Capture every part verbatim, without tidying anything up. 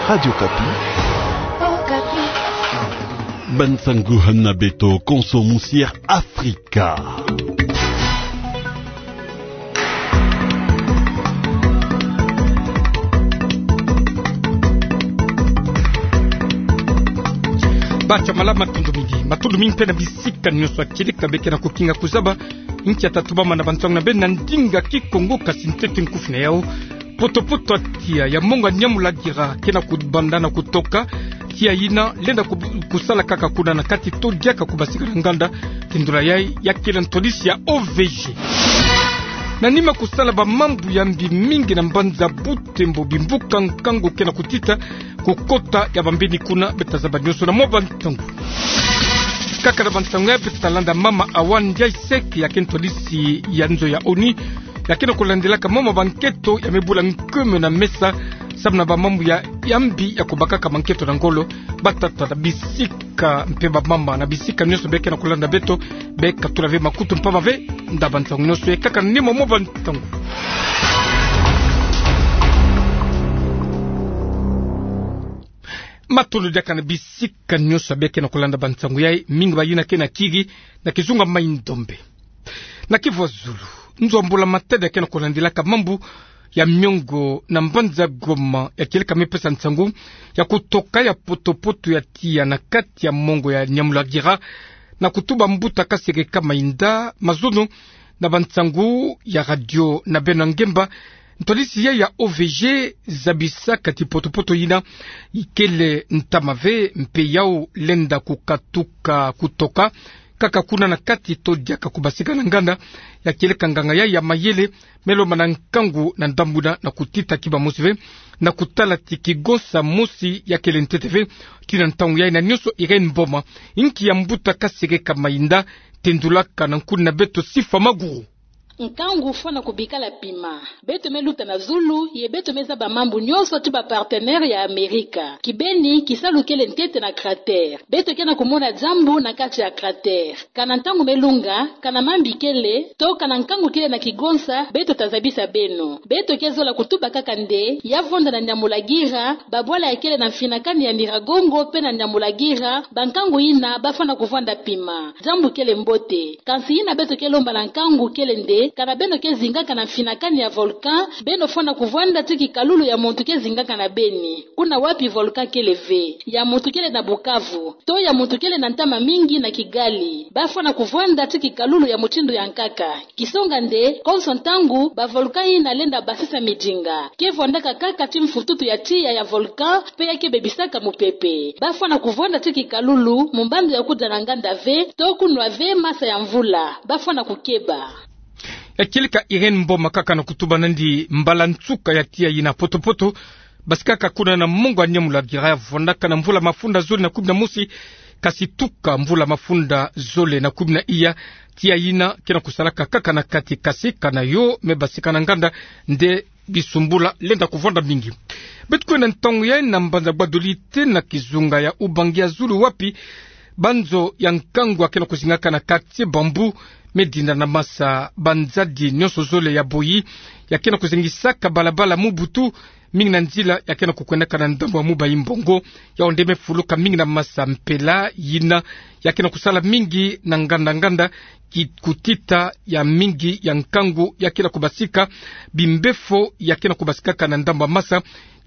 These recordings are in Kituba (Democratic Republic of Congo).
Radio Okapi. Bansangu hana beto konso musi Air Afrika. Bacha malama, matondo mingi. Matondo mingi mpe na bisika nyonso ya kieleka beke na kukinga kuzaba inki ya tatu bama na bansangu na beno na ndinga Kikongo, kasi ntete nkufi na yau. Poto-poto ya tiya ya mongo ya Nyamulagira ke na kubanda na kutoka, tiya yina lenda ku-, kusala kaka kuna na kati to diaka kubasika na nganda, tindula yai ya kele ntwadisi ya O V G. Na nima kusala bamambu ya mbi mingi na mbanza Butembo, bimbuka nkangu ke na kutita, kukota ya bambeni kuna, beta zaba nyonso na mwa bansangu. Kaka na bansangu yai beta landa mama Awa Ndiaye Seke, ya ke ntwadisi ya nzo ya ONU, ya ke na kulandilaka mama bankento ya mebula nkeme na mesa, samu na bamambu ya, ya mbi ya kubakaka bankento na ngolo, batata na bisika mpe bamama na bisika nyonso beke na kulanda beto, beka tula ve makutu mpamba ve nda bansangu nyonso yai kaka na nima mwa bansangu. Matondo diaka na bisika nyonso beke na kulanda bansangu yai, mingi bayina ke na kiri na kizunga Mai-Ndombe. Na Kivu ya Zulu, nzo ya mbula matadi ya ke na kulandilaka mambu ya miongo na mbanza Goma, ya kieleka mepesa nsangu ya kutoka ya poto-poto ya tiya na kati ya mongo ya Nyamulagira, na kutuba mbuta Kasereka Mainda, mazono na bansangu ya radio na beno ya ngemba. Ntwadisi yai ya O V G zabisaka ti poto-poto yina ikele ntama ve, mpe yau lenda kukatuka kutoka kaka kuna na kati to diaka kubasika na nganda, ya kieleka nganga yai ya mayele, me lomba na nkangu na ndambu yina na kutita kiba mosi ve, na kutala ti kigonsa mosi ya kele ntete ve. Tii na ntangu yai na nyonso Irène Mboma, inki ya mbuta Kasereka Mainda tendulaka na nkuni na beto Sifa Maguru. Nkangu fwana kubikala pima. Beto me luta na zulu, ye beto me zaba mambu nyonso ti ba partenaire ya Amerika. Kibeni, kisalu kele ntete na cratère. Beto ke na kumona diambu na kati ya cratère. Kana ntangu me lunga, kana mambi kele, to kana nkangu kele na kigonsa, beto ta zabisa beno. Beto ke zola kutuba kaka nde, ya vwanda na Nyamulagira, babwala ya kele na mfinakani ya Nyiragongo, mpe na Nyamulagira, bankangu yina, ba fwana kuvwanda pima. Diambu kele mbote. Kansi yina beto ke lomba na nkangu kele nde, kana beno ke zingaka na mfinakani ya volcan, beno fwana kuvwanda ti kikalulu ya muntu ke zingaka na beni. Kuna wapi volcan kele ve? Ya muntu kele na Bukavu. To ya muntu kele na ntama mingi na Kigali. Ba fwana kuvwanda ti kikalulu ya mutindu ya nkaka. Kisonga nde, konso ntangu, ba volcan yina lenda basisa midinga. Ke vwandaka kaka ti mfututu ya tiya ya volcan, mpe ya ke bebisaka mupepe. Ba fwana kuvwanda ti kikalulu, mu mbandu ya kudia na nganda ve, to kunwa ve masa ya mvula. Ba fwana kukeba. Ya kieleka Irène Mboma kaka na kutuba nandi mbala nsuka ya tiya yina poto-poto basikaka kuna na mongo ya Nyamulagira, ya vwandaka na mvula mafunda zole na kumi na mosi, kasi tuka mvula mafunda zole na kumi na iya, tiya yina ke na kusalaka kaka na kati, kasi kana yo me basika na nganda nde bisumbula lenda kuvwanda mingi. Beto kwenda ntangu yai na mbanza Gbadolite na kizunga ya Ubangi ya zulu wapi banzo ya nkangu ya ke na kuzingaka na quartier Bambou me dinda na masa. Banzadi nyonso zole ya boyi ya ke na kuzengisa ka balabala mu butu, mingi na nzila ya ke na kukwendaka na ndambu ya Mubayi Mbongo, yau nde me fuluka mingi na masa. Mpela yina ya ke na kusala mingi na nganda-nganda, ki-, kutita ya mingi ya nkangu ya ke na kubasika, bimbefo ya ke na kubasikaka na ndambu ya masa,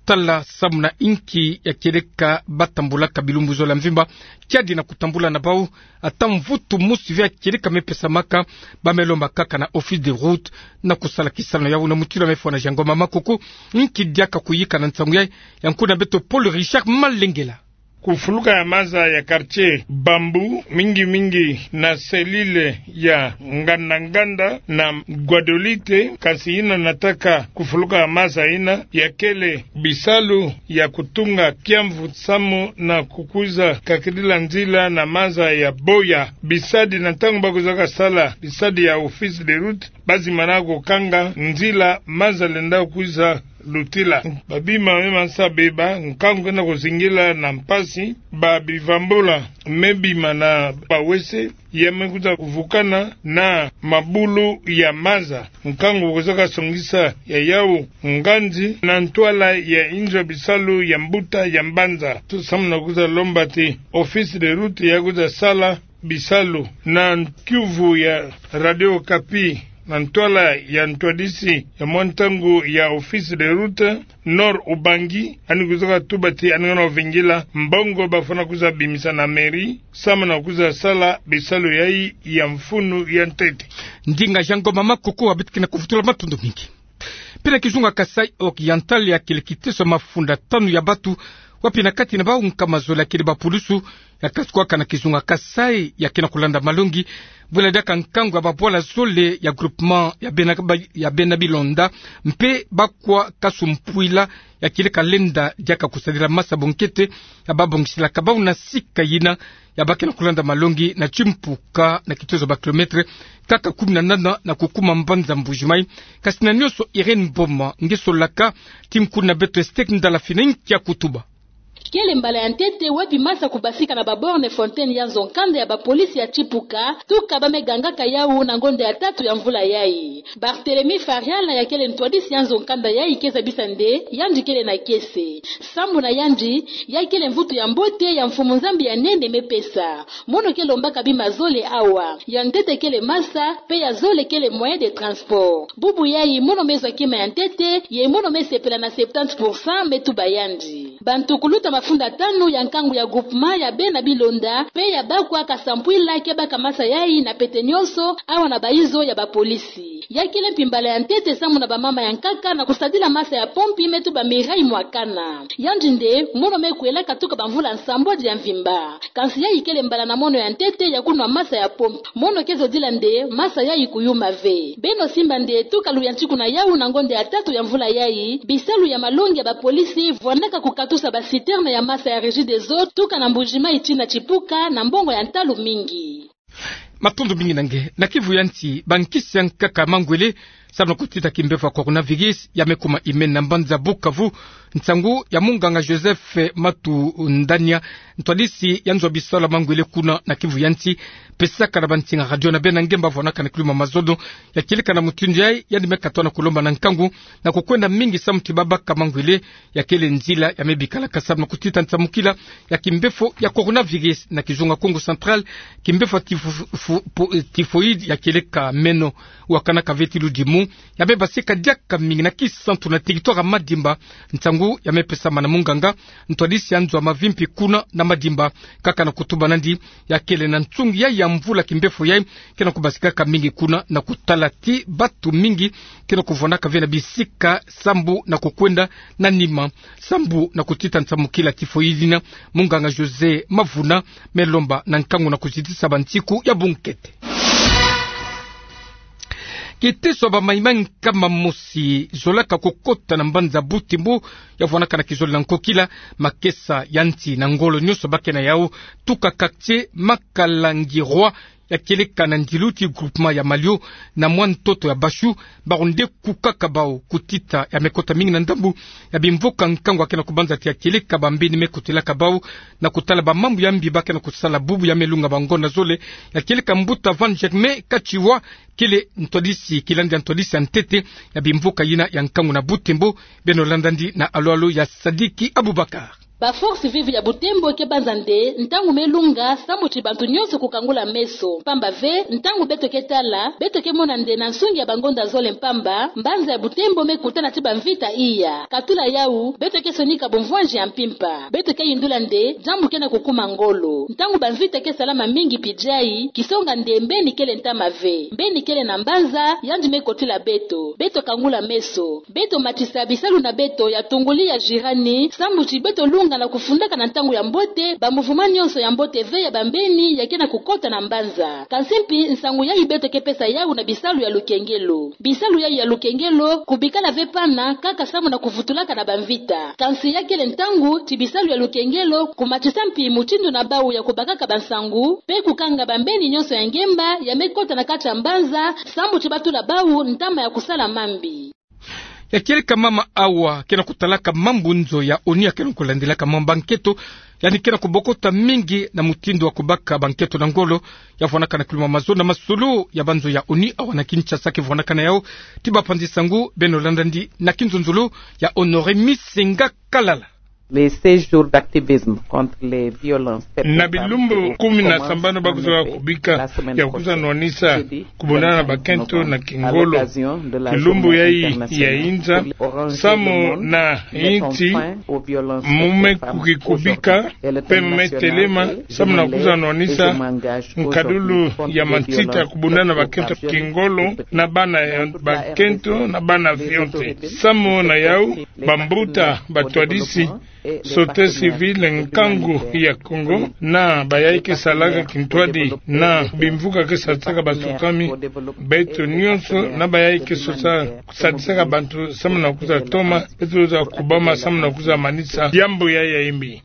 tala samu na inki ya kieleka ba tambulaka bilumbu zole ya mvimba, kiadi na kutambula na bau, ata mvutu mosi ve ya kieleka me pesamaka, ba me lomba kaka na Office des Routes na kusala kisalu na yau. Na mutilu ya me fwana Jean Ngoma Makuku, inki diaka kuyika na nsangu yai, ya nkuni na beto Paul Richard Malengela. Kufuluka ya masa ya quartier Bambou, mingi-mingi na selile ya nganda-nganda na Gbadolite, kasi yina nataka kufuluka ya masa yina ya kele bisalu ya kutunga kiamvu samu na kukwiza kakidila nzila na masa ya boya. Bisadi na ntangu ba kwizaka sala, bisadi ya Office des Routes, ba zimana kukanga nzila masa lenda kwiza lutila. Babima me mansa beba, nkangu ke na kuzingila na mpasi, ba bivambula me bima na bawese, ya me kuza kuvukana na mabulu ya maza. Nkangu kuzaka songisa ya yau nganzi na ntwala ya inzo bisalu ya mbuta ya mbanza. Tusamu na kuza lomba ti Office de Route ya kuza sala bisalu na nkiuvu ya Radio Okapi na ntwala ya ntwadisi ya mwa ntangu ya Office de Route Nord Ubangi, ani kuzaka tuba ti ani ngana ovingila mbongo bafwana kuza bimisa na mairie, samu na kuza sala bisalu yayi ya mfunu ya ntete. Ndinga Jean Ngoma Makoko wabitikina kuvutula matondo mingi. Pina kizunga Kasaï Oriental yakele kiteso mafunda tanu ya batu, wapi na kati na bau nkama zole yakele bapulusu, ya kasukwaka na kizunga Kasaï, ya ke na kulanda malongi, bwela diaka nkangu ya babwala zole ya groupement ya bena, ya bena Bilonda, mpe bakwa kasumpwila, yakele kalenda diaka kusadila masa bonkete, ya babongisilaka bau na sika yina, ya ba ke na kulanda malongi na timpuka na kitezo ba kilomètre kaka kumi na nana na kukuma mbanza Mbuji-Mayi. Kasi na nionso, Irène Mboma nge solaka, ti nkuna beto Esther Ndala fina nkia kutuba. Kele mbala ya ntete wapi masa kubasika na ba borne fontaine ya nzo nkanda ya bapolisi ya tipuka, tuka ba me gangaka yau na ngonda ya tatu ya mvula yayi. Barthélemy Fariala yakele ntwadisi ya nzo nkanda yayi ke zabisa nde yandi kele na kiese. Sambu na yandi, yayi kele mvutu ya mbote ya Mfumu Nzambi ya nene me pesa. Mono ke lombaka bima zole awa. Ya ntete kele masa, mpe ya zole kele moyen de transport. Bubu yayi mono me zwa kima ya ntete, ye mono me sepela na septante pour cent, me tuba yandi. Bantu kuluta mafunda tanu ya nkangu ya groupement ya bena Bilonda, mpe ya bakwa kasumpwila ke baka masa yayi na pete nionso, awa na bayizo ya bapolisi. Yakele mpi mbala ya ntete sambu na bamama ya nkaka na kusadila masa ya pompi, me tuba Mireille Mwakana. Yandi nde, mono me kwelaka tuka bamvula nsambwadi ya mvimba. Kansi yayi kele mbala na mono ya ntete ya kunwa masa ya pompi. Mono ke zodila nde masa yayi kuyuma ve. Beno simba nde tuka luyantiku na yau na ngonda ya tatu ya mvula yayi, bisalu ya malongi ya bapolisi vwandaka kukatusa ba citerne ya masa ya Regideso tuka na Mbuji-Mayi tii na tipuka na mbongo ya ntalu mingi. Matondo mingi na nge. Na kivu ya nsi, bankisi ya nkaka mangwele, sambu na kutita kimbevo ya coronavirus, ya me kuma imeni na mbanza Bukavu. Nsangu ya munganga Joseph Matundania, ntwadisi ya nzo ya bisalu ya mangwele kuna na kivu ya nsi, pesaka na bansinga radio na bena ngemba vwanaka na kiluma mazono, ya kieleka na mutindu yayi, yandi me katwa na kulomba na nkangu na kukwenda mingi sambu ti babaka mangwele, ya kele nzila ya me bikalaka sambu na kutita nsamukila ya kimbevo ya coronavirus. Na kizunga Kongo Central, kimbevo ya tifo-, fo-, po-, typhoïde ya kieleka meno, wakanaka ve ti ludimu, ya me basika diaka mingi na Kisantu na territoire ya Madimba. Nsangu ya me pesama na munganga, ntwadisi ya nzo ya mavimpi kuna na Madimba, kaka na kutuba nandi, ya kele na nsungi yayi ya mvula kimbevo yayi ke na kubasikaka mingi kuna, na kutala ti batu mingi ke na kuvwanaka ve na bisika sambu na kukwenda na nima, sambu na kutita nsamukila typhoïde yina. Munganga José Mavuna me lomba na nkangu na kuzitisa bansiku ya bunkete. Kiteso ya bamayi-mayi nkama mosi zolaka kukota na mbanza Butembo, ya vwanaka na kizole na nkokila, makesa ya nsi na ngolo nionso ba ke na yau, tuka quartier Makalangirwa, ya kieleka na ndilu ti groupement ya Malio, na mwa ntoto ya Bashu, bawu nde kukaka bau kutita ya me kota mingi na ndambu ya bimvuka nkangu ya ke na kubanza ti ya kieleka bambeni me kotelaka bau, na kutala bamambu ya mbi ba ke na kusala bubu ya me lunga bangonda zole, ya kieleka mbuta Van Germain Katsiwa, kele ntwadisi, kilandi ya ntwadisi ya ntete ya bimvuka yina ya nkangu na Butembo. Beno landa ndi na alu-alu ya Sadiki Abubakar. Ba forces vives ya Butembo ke banza nde ntangu me lunga, sambu ti bantu nionso kukangula meso. Pamba ve, ntangu beto ke tala, beto ke mona nde na nsungi ya bangonda zole mpamba, mbanza ya Butembo me kutana ti bamvita iya. Katula yau, beto ke sonika bumvwanzi ya mpimpa. Beto ke yindula nde diambu ke na kukuma ngolo. Ntangu bamvita ke salama mingi pidjayi, kisonga nde mbeni kele ntama ve. Mbeni kele na mbanza, yandi me kotila beto. Beto kangula meso. Beto matisa bisalu na beto ya tunguli ya jirani, sambu ti beto lunga na kufundaka na ntangu ya mbote ba mouvement nionso ya mbote ve ya bambeni ya ke na kukota na mbanza. Kansi mpi nsangu yayi beto ke pesa yau na bisalu ya lukengelo. Bisalu yayi ya lukengelo, kubikala ve pana kaka sambu na kuvutulaka na bamvita. Kansi ya kele ntangu ti bisalu ya lukengelo kumatisa mpi mutindu na bau ya kubakaka bansangu, mpe kukanga bambeni nionso ya ngemba ya me kota na kati ya mbanza, sambu ti batula bau ntama ya kusala mambi. Ya kieleka mama awa ke na kutalaka mambu nzo ya ONU ya ke na kulandelaka mama bankento, yandi ke na kubokota mingi na mutindu wa kubaka bankento na ngolo, ya vwanakana kiluma mazo na masolo ya banzo ya ONU awa na Kinshasa ke vwanakana yao. Ti bapanzi nsangu beno landandi na kinzonzolo ya Honoré Misenga Kalala. Les seize jours d'activisme contre les violences perpétrées au Cameroun. Na bilumbu kumi na sambanu ba kuzwa kubika ya kuzwa nwanisa kubundana na bakento na kingolo. Bilumbu yayi ya inza samu na inti mu me kuki kubika, pe mu me telema samu na kuzwa nwanisa nkadulu ya mansita kubundana na bakento kingolo na bana ya bakento na bana vionte. Samu na yau, bambuta batwadisi société civile nkangu ya Kongo, na bayayi ke salaka kintwadi, na bimvuka ke sadisaka basukami, beto nyonso, na bayayi ke sosa-, sadisaka bantu samu na kuzwa toma, beto za kubama samu na kuzwa manisa diambu yayi ya imbi.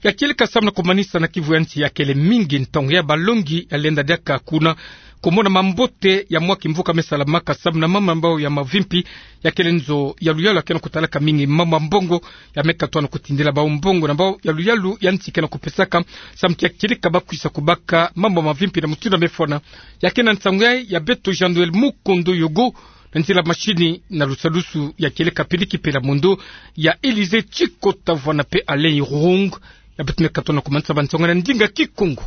Ya kieleka samu na kumanisa na Kivu ya nsi ya kele mingi ntangu ya balongi ya lenda diaka kuna kumona mambote ya mwa kimvuka me salamaka samu na mama mbao ya mavimpi. Ya kele nzo ya luyalu ya ke na kutalaka mingi mama mbongo, ya me katwa na kutindila bau mbongo na mbao ya luyalu ya nsi ke na kupesaka samu ti ya kieleka ba kwisa kubaka mama mavimpi na mutindu ya me fwana. Ya ke na nsangu yayi ya beto Jean-Noël Mukondo Yogo, na nzila mashini na lusalusu ya kieleka Pili Kipela Mondo, ya Élysée Tshikota Vwana pe Alain Irung. Ya beto me katwa na kumanisa bansangu na ndinga Kikongo.